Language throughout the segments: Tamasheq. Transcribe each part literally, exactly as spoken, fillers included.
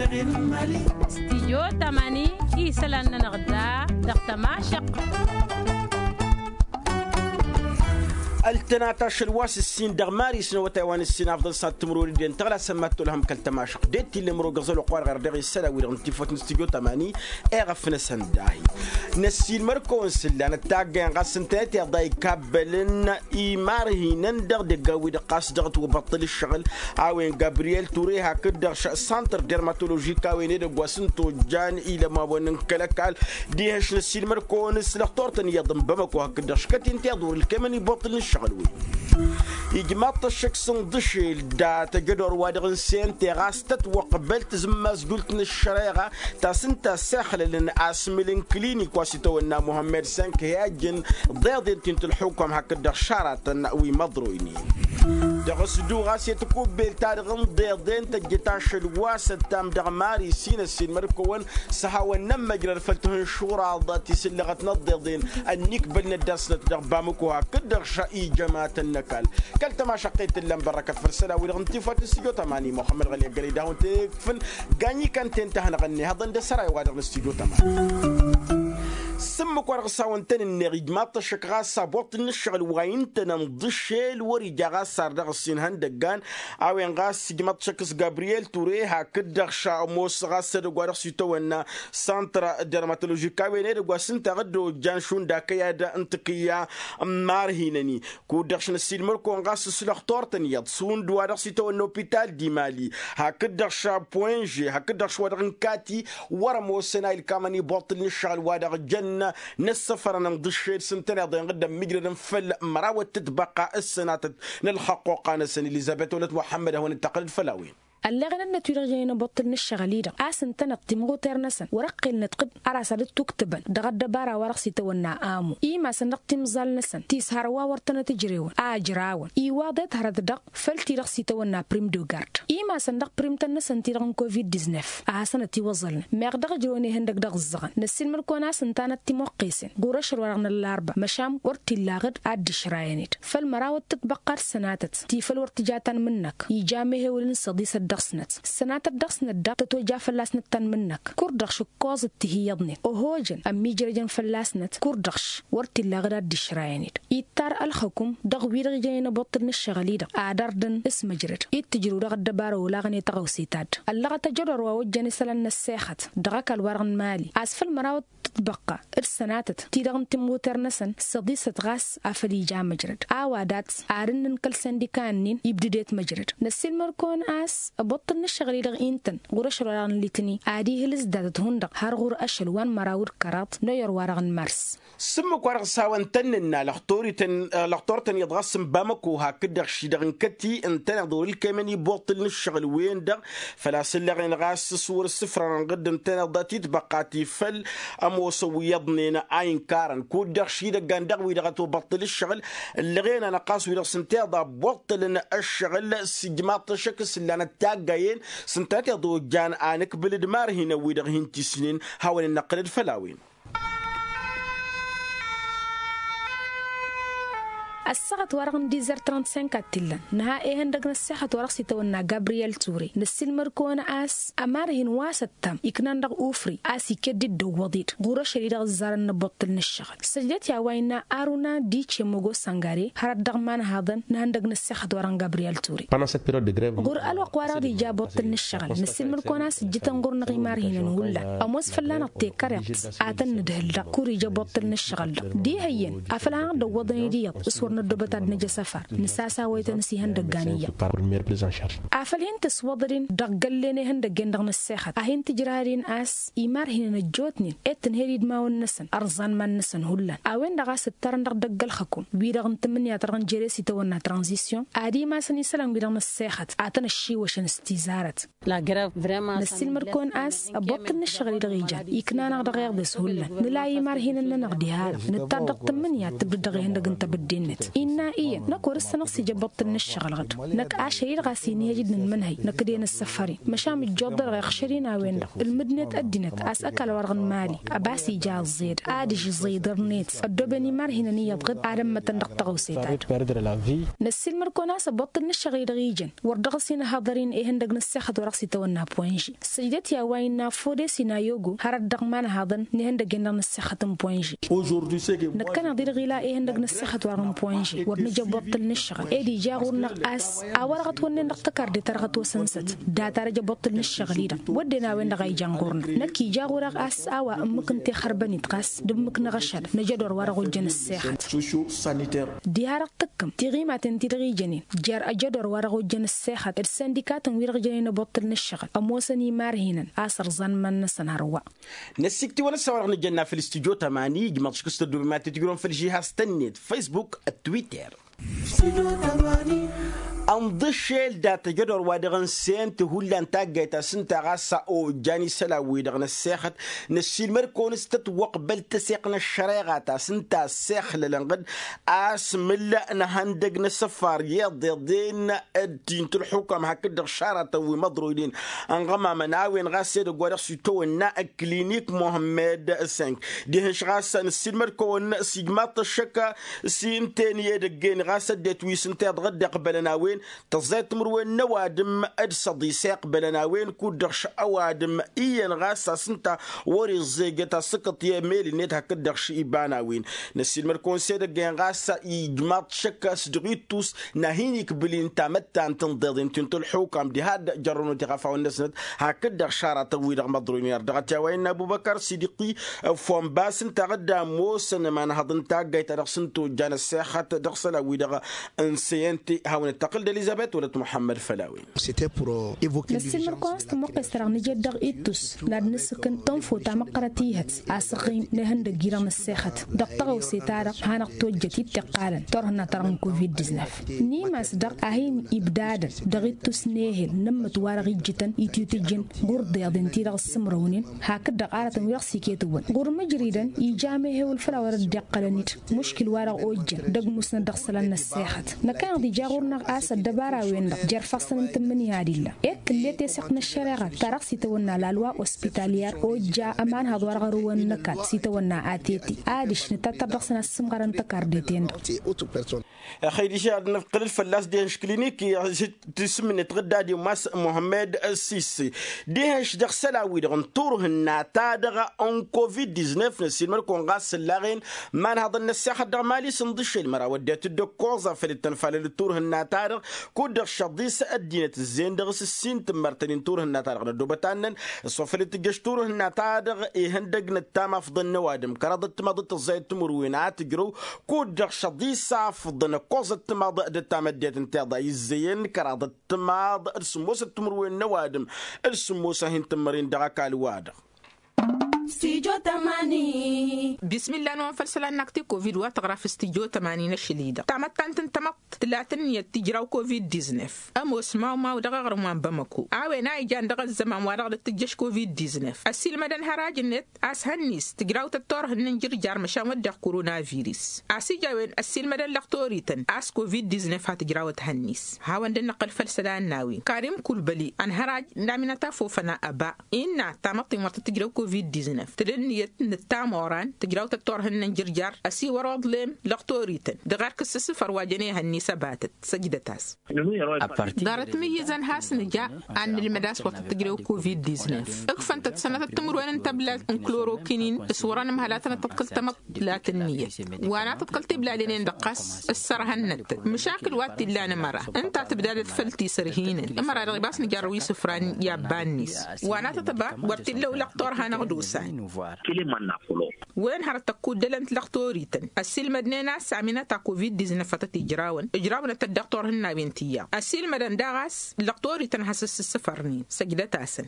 Stijyo tamani isălan-nănăɣ da dăɣ-tămašăq. Ăltănat ašăl wa s-ǝssin dăɣ-mari s-năwătay wa n-ǝssin afḍăn s-ad-tǝmrori d-en tăɣlasăn mad-tolhăm kăl-tămašăq d-e t-illăm rogăẓăl oqq wa dăɣ-erdeɣ isălan-wi-dăɣ n-tifăt n-stijyo tamani. Eɣăf-năsăn dahi n-ăssiilmăr-kăwăn s-ǝllan ăttaggayen ɣas ǝntănăt iḍa ikabbălăn imarhinăn dăɣ-deggan-wi-dăɣ ɣas dăɣ-ătwăbăṭṭǝl ǝššăɣǝl a-wen gabriyel ture hakd-dăɣ s-santăr dermatoložik a-wen edăgg wa s-ǝnta ojjan ilămawăn n-kăl-ăkall. Dihăš n-ăssiilmăr-kăwăn s-lăxtor-tăn iyyăḍ n-bamăko hakd-dăɣ škăt-in tiḍur ǝlkemăn ibăṭṭǝl n-ǝššăɣǝl-wi. Ijmaḍ-t ăššăk s-inḍǝšel datăjădor wa dăɣ-n sente ɣas tătwăqbăl tǝzǝmmazjult n-ăššăreɣa ta s-ǝnta a-s ixlălăn asmǝl n-klinik wa s-itawănna muhămmed sănk hi-ajjăn ḍeḍen ti n-tǝlxukăm hakd-dăɣ šaratăn wi măḍroynen. Dăɣ-s du ɣas i-tikubbel-ta-dăɣ n-ḍeḍen tăjjăt ašăl wa s-ăttam dăɣ-mari s-inăssin măr-kăwăn s-hawăn-nămmăjrăd făll-tihǝnšuraḍ tisǝllăɣăt n-ăḍḍeḍen ănnikbăl n-ăddasnăt dăɣ-bamǝko hakd-dăɣ ša ijămatăn n-ăkall. Kăl-tămašăqqet tǝllăm bărrăkăt făll-isălan-wi-dăɣ n-tifăt n-stujo tămani muxămmăd ɣăli ăggălăy d-ahun tǝkfǝn. Ganyikăn ten tăhnăɣ-net hăḍăn d-asăray-wa-dăɣ n-stujo tămani. S-ǝmmǝk wa dăɣ-s hawăn-tăn-ǝnneɣ ijmaḍ-t ăššăk ɣas abwăṭṭǝl n-ǝššăɣǝl wa intănăn d-ašel wăr-ija ɣas ar dăɣ-ǝssin ihăndăggan. A-wen ɣas ijmaḍ-t ăššăk s-gabriyel ture hakd-dăɣ šamos ɣas edăgg wa dăɣ-s itawănna santăr dermatoložik a-wen edăgg wa s-ǝnta ɣǝdda ojjan šund akăyad n-tǝkǝyya n-imarhinăn-i. Kud-dăɣ šnăssilmăr-kăwăn ɣas s-lăxtor-tăn iyyăḍ šund wa dăɣ-s itawănna opital d-imali hakd-dăɣ ša poinže hakd-dăɣ š-wa-dăɣ n-kati wăr-ămoosăn a ilkamăn iboṭṭǝl n-ǝššăɣǝl wa dăɣ-jăn n-ăssăfărăn n-iḍǝššed s-ǝntăneḍ-en ɣǝddăn mǝjrădăn făll-măraw ăttătbăqqa ǝssănatăt n-ălxăqquqa-năsăn elizăbet wălăt muḥămmăd a hawăn-dd-tăqqălăd făll-a-wen. Ălleɣăn-năt wi-dăɣ jănen aboṭṭǝl n-ǝššăɣǝl-i-dăɣ a-s ǝntăneḍ timɣuter-năsăn wăr-ăqqel nǝṭṭǝb ăra s-ad-dd-tuktǝbăn dăɣ-ăddăbara wa dăɣ-s itawănna amu imasăn dăɣ-timẓal-năsăn ti s-hărwa wăr tănăt-ǝjrewăn a ǝjrawăn iwaḍet hărăt-dăɣ făll-ti-dăɣ s-itawănna prim de gard imasăn dăɣ-primtăn-năsăn ti-dăɣ n-covid-diznef a hasăn-ătiwăẓălnăn meɣ dăɣ-ǝjrewăn ihăndăg dăɣ-ǝzzăɣăn năssiilmăd-kăwăn a-s ǝntanăt timwăqqesen ɣur-ašăl wa-dăɣ n-ăllarba măšan wăr t-illa aɣǝd ad-dd-išrayăn-dd făll-măraw ăttătbăqqa d-sănatăt ti făl wăr tǝja tanmǝn-năk ija mehewǝl n-săḍisăt dăɣ-snăt sănatăt dăɣ-snăt daɣ tătoja fălla-snăt tanmǝn-năk kur-dăɣ šǝkkoẓ d-tihiyyăḍnen ohojăn ămmiijrăjăn fălla-snăt kur-dăɣ š-wăr t-illa aɣǝd ad-dd-išrayăn-dd ittar ălxăkum dăɣ-wi-dăɣ ijănen aboṭṭǝl n-ǝššăɣǝl-i-dăɣ ad-ărdǝn s-măjrăd i d-tǝjrǝw dăɣ-ăddăbara olaɣăn i-taɣăwse ta dd-ăllăɣăt ajădor wa ojjăn isălan n-ăssexăt dăɣ-ăkall-wa-dăɣ n-imali a-s făll-măraw d-tǝtbăqqa d-sănatăt-ti-dăɣ n-timɣuter-năsăn săḍisăt ɣas afăl ija măjrăd a-wa dat-s ad-ǝnnǝn kăl-săndika-nin ibdǝdet măjrăd năssiilmăr-kăwăn a-s ăboṭṭǝl n-ǝššăɣǝl-i-dăɣ intăn ɣur-ašăl wa-dăɣ n-litni ad-ihǝlǝs datăt hundăɣ har ɣur-ašăl wa n-măraw d-kăraḍ n-oyăr wa-dăɣ n-mars. S-ǝmmǝk wa dăɣ-s hawăn-tăn-nǝnna lăxtor-ităn lăxtor-tăn iyyăḍ ɣas n-bamăko hakd-dăɣ ši-dăɣ n-kăti ǝntăneḍ wăr-ǝlkemăn iboṭṭǝl n-ǝššăɣǝl-wen-dăɣ făl-a-s ǝlleɣen ɣas s-wăr-ǝssǝfrănăn ɣǝdd ǝntăneḍ dat-itbăqqa ti făll-ămoosăn wi iyyăḍnen a inkarăn kud-dăɣ ši idăggan dăɣ-wi-dăɣ ătwăbăṭṭǝl ǝššăɣǝl ǝllăɣen-anăɣ ɣas wi-dăɣ s-ǝnta iḍa ăbboṭṭălăn ăššăɣǝl s-ijmaḍ-t ăššăk s-ǝllanăt taggayen s-ǝntanăt iḍa ojjan anǝkbǝl d-imarhinăn-wi-dăɣ hin-tisnen hawăn-dd-năqqǝlăd făll-a-wen. Ăssaɣăt-wa-dăɣ n-dizăr trănt-cinq ad-t-illăn nǝha ehăndăg n-ăssexăt wa dăɣ-s itawănna gabriyel ture năssiilmăd-kăwăn a-s ămarhin wa s-ăttam iknan dăɣ-ufri a-s iket-dd dd-ăwwăḍ-dd ɣur-ašăl-i-dăɣ ǝzzarăn n-abăṭṭǝl n-ǝššăɣǝl săjdăt i-a-wa innă aruna dice mogo săngare hărăt dăɣ-imanhaḍăn n-ihăndăg n-ăssexăt wa-dăɣ n-gabriyel ture. Ɣur-ălwăqq wa dăɣ-dd-ija abăṭṭǝl n-ǝššăɣǝl năssiilmăd-kăwăn a-s ǝjjǝtăn ɣur-năɣ imarhinăn hullan ămoos fălla-năɣ tekăreḍt a tăn-nǝdhǝl-dăɣ kur-ija abăṭṭǝl n-ǝššăɣǝl-dăɣ diha iyyăn afăl hanăɣ-dd-ăwwăḍăn-dd iyyăḍ s-wăr năddobăt ad-năj asăfar nǝsasawăytăn s-ihăndăggan iyyăḍ. Afăl hin-tǝswăḍăd-in dăɣ-găllen ihăndăggen-dăɣ n-ăssexăt a hin-tǝjrăhăd-in a-s imarhinăn ăjjootnen ed tǝnhed idmawăn-năsăn ărẓan iman-năsăn hullan a-wen-dăɣ a-s ǝttarăn dăɣ-idăgg ălxăkum wi-dăɣ n-tǝmmǝnǝya ta dăɣ-nǝjere s-itawănna tranzisyon ad-imasăn isălan wi-dăɣ n-ăssexăt ad-tăn-ăššiwăšăn s-tizarăt. Năssiilmăd-kăwăn a-s ăbboṭṭǝl n-ǝššăɣǝl-i-dăɣ ijan ikna-năɣ dăɣ-iḍes hullan nǝla i-imarhinăn-nănăɣ diha-dăɣ nǝttar dăɣ-tǝmmǝnǝya ad-tǝbdǝd dăɣ-ihăndăg n-tebădde-net. Innă iyyăn năkk wăr-ǝssănăɣ s-ija ăbbuṭṭǝl n-ǝššăɣǝl ɣǝd. Năkk ašăl-i-dăɣ a-s inhăj d-inǝnmănhăy năkk d-e-nǝssăfăr-in măšan ǝjjuḍ-dăɣ iɣšăr-in a-wen-dăɣ ǝlmǝdnet ăddinăt a-s ăkall wa-dăɣ n-imali ăbas ija ăẓẓed adiš iẓǝy dăr-net ăddooben imarhinăn iyyăḍ ɣǝd ad-ămmătăn dăɣ-tăɣawse-ta-dăɣ. Năssiilmăd-kăwăn a-s ăbbuṭṭǝl n-ǝššăɣǝl-i-dăɣ ijăn wăr dăɣ-s-inhăḍăr-in ihăndăg n-ǝssexăt wa dăɣ-s itawănna poinži săjdăt i-a-wa innă fodes-in a yogo hărăt dăɣ-imanhaḍăn n-ihăndăg-en-dăɣ n-ǝssexăt n-poinži. Năkkăneḍ-i-dăɣ ila ihăndăg n-ǝssexăt wa dăɣ-n poinži wăr nǝja ăbbuṭṭǝl n-ǝššăɣǝl ed ija ɣur-năɣ a-s a-wa dăɣ-ătwănnen dăɣ-tăkarde ta dăɣ-ătwăsănsăt data-dăɣ ija ăbbuṭṭǝl n-ǝššăɣǝl-i-dăɣ wădden a-wen-dăɣ a ijan ɣur-năɣ năkk ija ɣur-eɣ a-s a-wa ǝmmǝk n-tixărbăn-dd ɣas d-ǝmmǝk n-aɣăšăd n-ajădor wa dăɣ-ojjăn ǝssexăt. Diha-dăɣ tǝkkǝm tiɣimaten-ti-dăɣ ijănen jer-ajădor wa dăɣ-ojjăn ǝssexăt d-sindikatăn-wi-dăɣ jănen ăbbuṭṭǝl n-ǝššăɣǝl ămoosăn imarhinăn a-s ărẓan iman-năsăn hărwa. Năssiktǝwăn ăssawăr-dăɣ nǝjănna făll-studyo tămani ijmăḍ šik s-tăddoobem ad-tǝjrǝwăm făll-žihaz-tăn-net, facebook, twitter. Ănḍǝššel dat-ajădor wa dăɣ-n sent hullan taggayt a-s ǝnta ɣas a ojjan isălan-wi-dăɣ n-ăssexăt. Năssiilmăd-kăwăn s-tătwăqbăl tăseɣt n-ăššăreɣa ta s-ǝnta ăssexlălăn ɣǝd a-s mǝlla n-ehăndăg n-asăfar i-iḍeḍen d-ti n-tǝlxukam hakd-dăɣ šaratăn wi măḍroynen ănɣămamăn a-wen ɣas edăgg wa dăɣ-s itawănna ăklinik muhămmed sănk. Dihen-š ɣas năssiilmăd-kăwăn s-ijmaḍ-t ăššăk s-inten i-edăgg-en ɣas ăddinăt wi s-ǝnta iḍăɣ dd-iqbălăn a-wen tăẓẓayăt timǝrwen n-ăwadǝm d-săḍis a iqbălăn a-wen kud-dăɣ š-ăwadǝm iyyăn ɣas a-s ǝnta wăr-iẓẓ eget asǝkkăṭ i-emel-net hakd-dăɣ š-iba n-a-wen. Năssiilmăd-kăwăn s-edăgg-en ɣas ijmaḍ-t šăkk a-s dăɣ-ittus n-ad-hin-ikbǝl-in tamăttant n-iḍeḍen ti n-tălxukam diha dd-jărrăwnăt iɣăfawăn-năsnăt hakd-dăɣ šaratăn-wi-dăɣ măḍroynen ar dăɣ-t i-a-wa innă ăbubăkăr s-idǝqqi. Fonba a-s ǝnta a dd-ămoosăn ămanhăḍ n-taggayt ta dăɣ-s ǝnta ojjan ăssexăt dăɣ-isălan-wi-dăɣ n-seyănte. Hawăn-dd-tăqqǝl d-elizăbet wăla t-muḥămmăd făll-a-wen. Năssiilmăd-kăwăn a-s tămoqqes-ta-dăɣ nǝjed dăɣ-ittus n-ad-nǝsǝkǝn tănfot ta măqqărăt ihăt asăɣɣim n-ehăndăgg-i-dăɣ n-ăssexăt dăɣ-tăɣawse-ta-dăɣ hanăɣ-tojjăt i-dd-tiqqalăn turhǝnna-ta-dăɣ n-covid-disnef. N-imas-dăɣ a hin-ibdadăn dăɣ-ittus n-ehel n-ǝmmǝt wa-dăɣ ijjǝtăn ititǝjǝn ɣur-deḍen-ti-dăɣ ǝssǝmrăwnen hakd-dăɣ aratăn wi-dăɣ s-iketǝwwăn ɣur-imǝjridăn ija amehewǝl făll-a-wa dăɣ-dd-iqqălăn-dd muškil-wa-dăɣ ojjăn d-ăgmusnăt dăɣ-isălan n-ăssexăt. Năkkăneḍ ija ɣur-năɣ a-s ăddăbara-wen-dăɣ jer-ifassăn n-tǝmmǝnǝya d-illa. Ed tǝll'-e teseɣt n-ăššăreɣa ta dăɣ-s itawănna lalwa ospitalyer ojja ămanhăḍ wa dăɣ-arǝwăn n-ăkall s-itawănna atete adiš nǝtattăr dăɣ-săn ad-sǝmɣărăn tăkarde-ten-dăɣ. Ăxăy diš ad-năqqǝlăl fălla-s dehăn š-klinik i-tisǝmnet ɣǝdda d-imas muhămmed sisi. Dehăn š-dăɣ-isălan-wi-dăɣ n-turhǝnna-ta-dăɣ n-covid-disnef năssiilmăd-kăwăn ɣas s-ǝllaɣen imanhăḍăn n-ăssexăt dăɣ-mali s-ǝnḍǝššel măraw ăddinăt d-ǝkkoẓ a făl dd-tănfalăl d-turhǝnna-ta-dăɣ kud-dăɣ šăḍis ăddinăt ǝzzeyăn dăɣ-s ǝssin tǝmmărtăn-in turhǝnna-ta-dăɣ n-ăddoobăt annăn. S-wa făl dd-tǝjjăš turhǝnna-ta-dăɣ ihăndăg n-ăttam afḍăn n-ăwadǝm kăraḍăt timaḍ d-tăẓẓayăt timǝrwen a tǝjrăw kud-dăɣ šăḍis afḍăn ǝkkoẓăt timaḍ d-ăttam ăddinăt n-tiḍa izzeyăn kăraḍăt timaḍ d-sǝmmosăt timǝrwen n-ăwadǝm d-sǝmmos a hin-tǝmmăren dăɣ-ăkall-wa-dăɣ. Bismillah n-wăn făll-isălan n-akti covid wa tăɣra făll-stijo tămani n-ašăl-i-dăɣ tamăttant n-tamăḍt tǝlat ǝnniyăt tǝjraw covid-disnef. Ămoos mawmaw dăɣ-aɣrǝm wa n-bamăko a-wen a ijan dăɣ-ăzzăman wa dăɣ-dd-tǝjjăš covid-disnef ăssiilmădăn hăraj-net a-s hănnis tǝjrawtăt turhǝnna n-jǝrjar măšan wădden koronavirus. A-s ija a-wen ăssiilmădăn lăxtorităn a-s covid-disnef ha tǝjrawăt hănnis. Hawăn-dd-năqqăl făll-isălan n-a-wen karim kulbăli ănhăraj n-aminăt afofăn a ăba innă tamăḍt-in wăr tăt-tǝjrăw covid-disnef tǝla ǝnniyăt n-ǝttam oran tǝjrawtăt turhǝnna n-jǝrjar ăsiwăr oḍlem lăxtorităn dăɣ-erk s-ǝssǝfăr wa jăn i-hănnis ăbatăt. Săjdăt-as. Ḍarăt mǝyyǝzăn has-nǝja ad-nǝlmăd a-s wăr tăt-tǝjrew covid-disnef. Ǝkfăn-tăt sănătăt timǝrwen n-tăblat n-klorokinin s-wăr-ănmăhăl ad-tănăt-tăḍkăl tamăḍt tǝlat ǝnniyăt wa n-ad-tăḍkăl tiblalenen dăɣ-ɣas ǝssărhănnăt-tăt măšakǝl wa t-illa n-ămăra ǝnta tǝbdadăt făll-tisărhinen ămăra-dăɣ ibas nǝjarrăw isǝfran i-abba-net wa n-ad-tăt-ăba wăr t-illa ulăɣ turha n-aɣdosan. Wen hărăt ăkkuddălăn tilăɣtorităn ăssiilmădnen a-s aminăt a covid-disnef a tăt-ijrawăn ǝjrawnăt-tăt dăɣ-turhǝnnawen ti iyyăḍ ăssiilmădăn daɣ a-s lăɣtorităn has-ăssǝssǝfărnen săjdăt-asăn.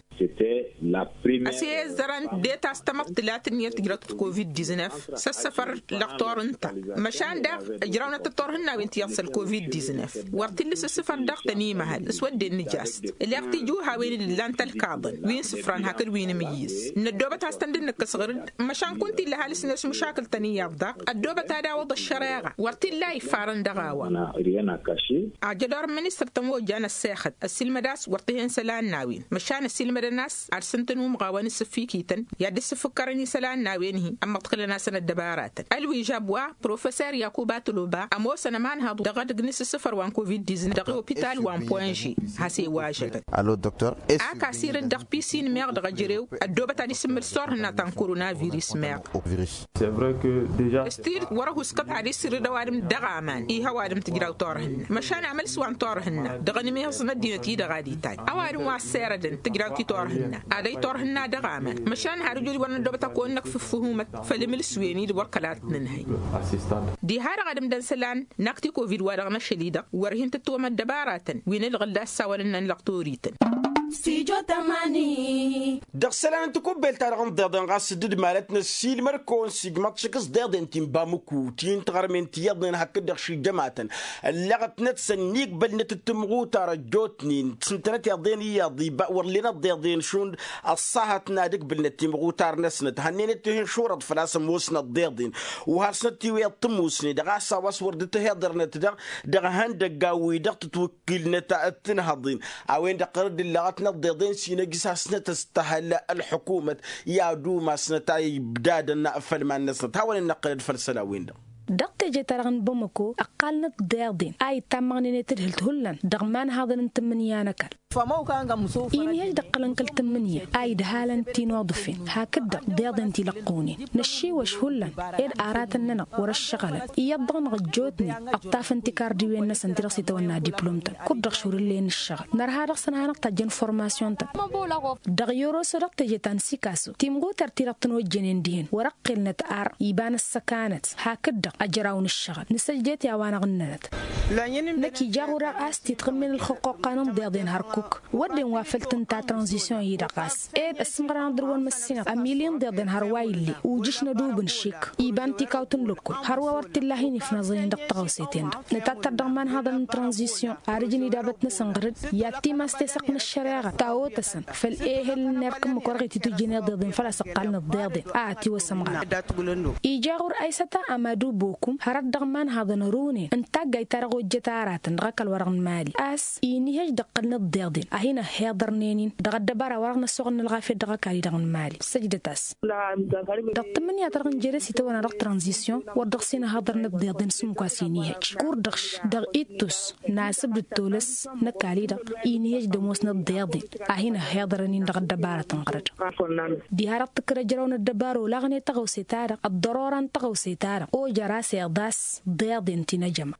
Ăsiyezzărăn det a-s tamăḍt tǝlat ǝnniyăt tǝjrawtăt covid-disnef s-ăssăfăr lăɣtor ǝnta măšan daɣ ǝjrawnăt-tăt turhǝnnawen ti iyyăḍ săl covid-disnef wăr t-illa s-ǝssǝfăr dăɣ-tăn imăhăl s-wădden nǝjast ǝleɣ tijuhawen-dd ǝllan tălkaḍăn wi n-isǝfran hakd wi n-imǝyyǝs. Năddoobăt has. ǝssǝfǝkkărăn-tăn d-nǝkkǝs ɣǝr-dd. Măšan kunta illa ăhalǝs-net măšakǝl-tăn iyyăḍ daɣ ăddoobăt ad-awǝḍ ăššăreɣa wăr t-illa a iffarăn dăɣ-a-wa. Ad-jădor n-ministăr tămojja n-ăssexăt ăssiilmăd a-s wăr t-hen isălan n-a-wen măšan ăssiilmădăn a-s ad-săn-tăn-umɣawăn isǝffikităn i-ad-dd-sǝfǝkkărăn isălan n-a-wen-hi. Ămmăḍkǝlăn-asăn ăddăbaratăn ălwižab wa professor yakuba tăloba ămoosăn ămanhăḍ dăɣ-edăgg n-isǝssǝfăr wa n-covid-diznăf dăɣ-opital wa n-poinže. Has-e-wažăbăn. Alo doktor. Ak asirǝd dăɣ-pisin meɣ dăɣ-ejărew ăddoobăt ad-isǝmmǝl s-turhǝnna ta n-koronavirus meɣ. S-tidǝt wăr-ăhuskăt ad-isirǝd ăwadǝm dăɣ-aman ih' ăwadǝm tǝjraw turhǝnna măšan amăls wa n-turhǝnna dăɣ-anǝmihǝẓ n-ăddinăt-i-dăɣ ad-itaj ăwadǝm wa ăssirădăn tǝjraw-t i-turhǝnna ad-ăy turhǝnna dăɣ-aman. Măšan har ǝjud wăr năddoobăt ad-kăwăn-năkf ǝffǝhumăt făll-imǝlǝswen-i-dăɣ wăr kăla t-nǝnhăy. Diha-dăɣ ad-ǝmdăn isălan n-ak ti-covid wa dăɣ-năšăl-i-dăɣ wăr hin-tǝttǝwăm ăddăbaratăn wi n-ǝlɣǝl d-assawălăn n-ăllăɣ torităn. Dăɣ-isălan n-takubbelt-ta-dăɣ n-iḍeḍen ɣas dd-malăt năssiilmăd-kăwăn s-ijmăḍ šik s-deḍen ti n-bamuku ti n-tiɣărmen ti iyyăḍnen hakd-dăɣ šijămatăn ălleɣătnăt s-ănnigbălnăt d-timɣutar ăjjootnen s-ǝntănăt iḍen iyyăḍ iba wăr lenăt deḍen šund. Ăṣṣahăt n-ad-ǝgbǝlnăt timɣutar-năsnăt hănnenăt tihǝnšurăḍ făl-a-s ămoosnăt deḍen. Wăr hasnăt tiwǝyăḍ tămoosne dăɣ-a-s a-wa s-wăr dd-tăhiḍărnăt dăɣ-ihăndăggan-wi-dăɣ tǝtwǝkkǝlnăt. T-inhăḍen a-wen-dăɣ ɣărăd ǝllăɣătnăt deḍen s-inăjjǝs hasnăt ăstăhăl ălḥukumăt i-ad-umasnăt a ibdadăn făll-iman-năsnăt hawăn-in-năqqǝlăd făll-isălan-win-dăɣ. Dăɣ-teje-ta-dăɣ n-bamăko ǝqqalnăt deḍen a itammăɣnen i-tǝdhǝlt hullan dăɣ-imanhaḍăn n-tǝmmǝnǝya n-ăkall. Inhăj d-ăqqălăn kăl-tǝmmǝnǝya a idhalăn ti n-oḍǝfen hakd-dăɣ deḍen ti lăqqunen năššiwăš hullan ed aratăn-nănăɣ wăr-ăššăɣǝlăn iyyăḍ-dăɣ-năɣ ăjjootnen ǝṭṭafăn tikardiwen-năsăn ti-dăɣ s-itawănna diplom-tăn kud-dăɣ šurǝllen ǝššăɣǝl nărha dăɣ-săn hanăɣ-tajjăn formasyon-tăn. Dăɣ-yoroso dăɣ-teje ta n-sikaso timɣuter ti-dăɣ tăn-ojjănen dihen wăr-ăqqelnăt ar iba n-ăssăkanăt hakd-dăɣ ăjraw n-ǝššăɣǝl nǝsăjdăt i-a-wa năɣ-ǝnnănăt. Năkk ija ɣur-e a-s titɣǝmmen ălxuqquqqa n-deḍen hărkuk wădden wa făl tǝnta tranzisyon-i-dăɣ ɣas ed ăssimɣăr-anăɣ dăr-wăn măssinăt ămili n-deḍen hărwa ill'-e ujǝš n-ădub n-šik iba n-tikawt n-lăkkol hărwa wăr t-illa a-hin-ifnaẓăyăn dăɣ-tăɣawse-ten-dăɣ nǝtattăr dăɣ-imanhaḍăn n-tranzisyon ar ǝjǝn idabăt-năsăn ɣăr-dd i-ad-timas tesăɣt n-ăššăreɣa ta otăsăn făll-ehel n-erk ǝmmǝk wăr dăɣ-ititujjăn iḍeḍen făl-a-s ǝqqalnăt deḍen a ătiwăsăm ɣăr-dd. Ija ɣur-e aysăta amadu bokum hărăt dăɣ-imanhaḍăn ărunen n-taggayt-ta-dăɣ ojjăt aratăn dăɣ-ăkall-wa-dăɣ n-imali a-s inihăj d-ăqqălnăt deḍen a hin-ăhhiḍărnen-in dăɣ-ăddăbara wa dăɣ-năsoɣăn n-ălɣafyăt dăɣ-ăkall-i-dăɣ n-imali săjdăt-as. Dăɣ-tǝmmǝnǝya-ta-dăɣ n-jere s-itawănna dăɣ-tranzisyon wăr dăɣ-s inhăḍărnăt deḍen s-ǝmmǝk wa s-inihăj kur-dăɣ-š dăɣ-ittus n-asǝbdǝd tolăs n-ăkall-i-dăɣ inihăj d-ămoosnăt deḍen a hin-ăhhiḍărăn-in dăɣ-ăddăbarăt n-ɣărăd. Diha-dăɣ tǝkkăd ăjrăw n-ăddăbara olaɣnen tăɣawse-ta-dăɣ ăḍḍărora n-tăɣawse-ta-dăɣ ojăr a-s iḍas deḍen ti n-ejăma.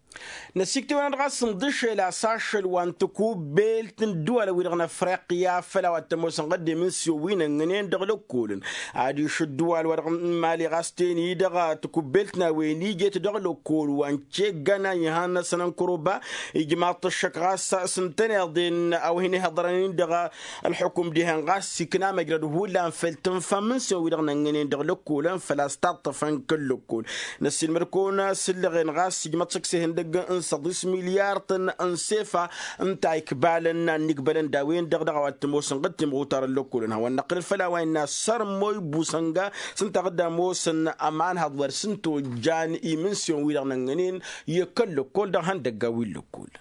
Năsiktewăn-dd ɣas n-iḍǝššel a-s ašăl wa n-tikubbelt n-ǝddǝwalăn-wi-dăɣ n-afriqya făll-a-wa t-ămoosăn ɣăddem n-siwǝn ănnănen dăɣ-lăkkolăn adiš ǝddǝwal-wa-dăɣ n-imali ɣas ten-i-dăɣ tikubbelt n-a-wen ijet dăɣ-lăkkol wa n-ceggan a ihăn-năsăn ănkăruba ijmaḍ-t ăššăk ɣas s-ǝntăneḍ-en a-wa hin-ihaḍărăn-in dăɣ-ălḥukum dihen ɣas ikna măjrăd hullan făll-tǝnfa n-imǝnsiwăn-wi-dăɣ n-ănnănen dăɣ-lăkkolăn făl-a-s taṭṭăfăn kăl-lăkkol. Năssiilmăd-kăwăn s-ǝllăɣen ɣas ijmăḍ šăkk s-ihăndăgg n-săḍis milyartăn n-sefa ǝnta-ikbalăn n-ad-nǝkbălăn d-a-wen-dăɣ dăɣ-a-wa t-ămoosăn ɣǝd timɣutar n-lăkkolăn hawăn-năqqǝlăd făll-a-wa innă sărmoy busănga s-ǝnta ɣǝd ămoosăn ămanhăḍ wăr s-ǝnta ojjan imǝnsiwăn-wi-dăɣ n-ănnănen i-kăl-lăkkol dăɣ-ihăndăggan wi n-lăkkol.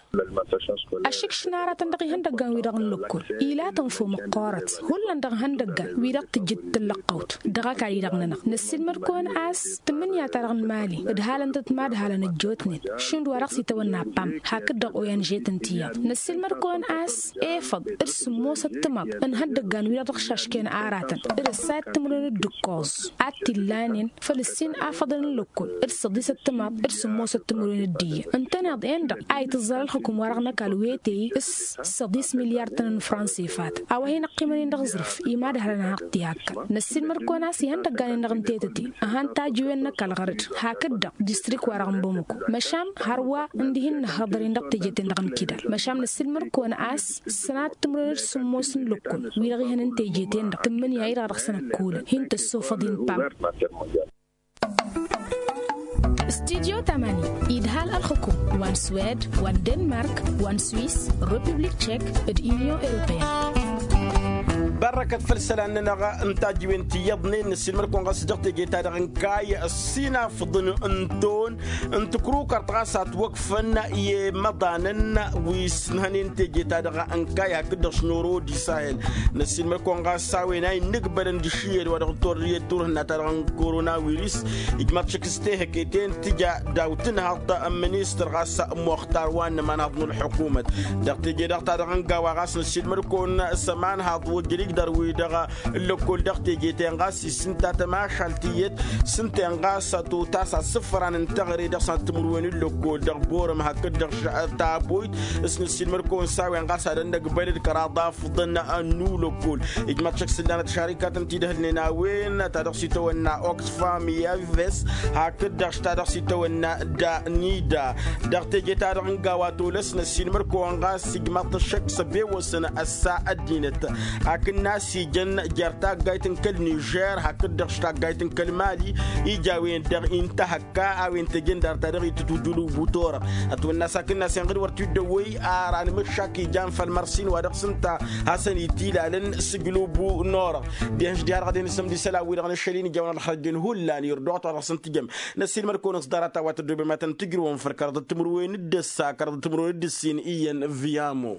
Ăššǝkšǝn aratăn dăɣ-ihăndăggan-wi-dăɣ n-lăkkol ila tănfo măqqoorăt hullan dăɣ-ihăndăggan-wi-dăɣ tǝjjǝd tǝllăqqăwt dăɣ-ăkall-i-dăɣ-nănăɣ năssiilmăd-kăwăn a-s tǝmmǝnǝya-ta-dăɣ n-imali ǝdhalăn-tăt mad-halăn ăjjootnen šund wa dăɣ-s itawănna pam hakd-dăɣ oyan žetăn tiyyăḍ năssiilmăd-kăwăn a-s efăḍ d-sǝmmosăt timaḍ n-ihăndăggan-wi-dăɣ dăɣ-išašken aratăn d-ǝssa i-timǝrwen d-ǝkkoẓ ad-t-illanen făll-ǝssin afăḍăn n-lăkkol d-săḍisăt timaḍ d-sǝmmosăt timǝrwen d-iyyăn ǝntăneḍ-en-dăɣ a itǝẓẓăl ălxǝkum wa dăɣ-năkall wetey s-săḍis milyar-tăn n-franse fatăn a-wa hin-ăqqimăn-in dăɣ-aẓrǝf i-mad-hărăn hanăɣ-t-i-akkăn. Năssiilmăd-kăwăn a-s ihăndăggan-in-dăɣ n-tetăte ăhan tajǝwen n-ăkall ɣăr-dd hakd-dăɣ distrik-wa-dăɣ n-bamăko măšan hărwa ǝndihi n-inăhhăḍăr-in dăɣ-teje-ten-dăɣ n-kidal măšan năssiilmăd-kăwăn a-s sănat timǝrwen d-sǝmmos n-lăkkol wi-dăɣ ihăn n-teje-ten-dăɣ tǝmmǝnǝya-i-dăɣ dăɣ-săn ăkkolăn hin-tăssofăḍ-in pam. Studyo tamani idhal ălxukum wa n-swed wa n-denmark wa n-swis, republik tchek d-union europeyenne. Bărrăkăt făll-isălan-nănăɣ n-tajǝwen ti iyyăḍnen. Năssiilmăd-kăwăn ɣas dăɣ-teje-ta-dăɣ n-kayy ăssinafḍăn n-ton n-tǝkrukărt ɣas a ătwăkfăn i-imăḍanăn wi s-ǝnhănen teje-ta-dăɣ n-kayy hakd-dăɣ s-noro d-isahel. Năssiilmăd-kăwăn ɣas s-a-wen a innǝgbălăn d-ašǝyyăd wa dăɣ-torrǝyăt turhǝnna-ta-dăɣ n-koronawiris. Ijmaḍ šăkk s-tehăke-ten tǝja daw-tǝnhaḍt n-ministăr ɣas muxtar wa n-ămanhaḍ n-ălḥukumăt dăɣ-teje-dăɣ-ta-dăɣ n-gawa ɣas năssiilmăd-kăwăn s-ămanhaḍ ojăl igdăr-wi-dăɣ n-lăkkol dăɣ-teje-ten ɣas isǝnta tămašalt iyyăt s-ǝnta-en ɣas a totas asǝfran n-teɣăre dăɣ-săn timǝrwen n-lăkkol dăɣ-borăm hakd-dăɣ taboyt. S-năssiilmăd-kăwăn s-a-wen ɣas ad-ănnăgbălăd kăraḍ afḍăn n-ulăkkol. Ijmaḍ šăkk s-ǝllanăt šarikat n-tidhǝlnen a-wen ta dăɣ-s itawănna oxfam i-aves hakd-dăɣ ta dăɣ-s itawănna danida. Dăɣ-teje-ta-dăɣ n-gawa tolăs năssiilmăd-kăwăn ɣas ijmaḍ-t ăššăk s-ăbewăsăn ăssa ăddinăt akǝnnas ijăn jer-taggayt n-kăl-nižer hakd-dăɣ taggayt n-kăl-mali. Ija a-wen-dăɣ intăhăkka a-wen tejăn dar-ta-dăɣ itǝtwǝjǝl ubu torăɣ ătwănna s-akǝnnas inɣǝd wăr t-dd-ăwwăy ar anmǝššak ijan făll-mărsin wa dăɣ-s ǝnta hasăn-itilalăn s-ǝjlǝw bu n-orăɣ. Dehăn-s diha-dăɣ ad-hin-sǝmdǝsăl a-wi-dăɣ n-ašăl-in ija a-wen ălxărăjjăn hullan irduɣăt wa dăɣ-săn tǝjăm. Năssiilmăd-kăwăn s-ḍarăt a-wa tăddoobem ad-tăn-tǝjrǝwăn făll-kăraḍăt timǝrwen d-ăssa kăraḍăt timǝrwen d-ǝssin iyyăn viyamo.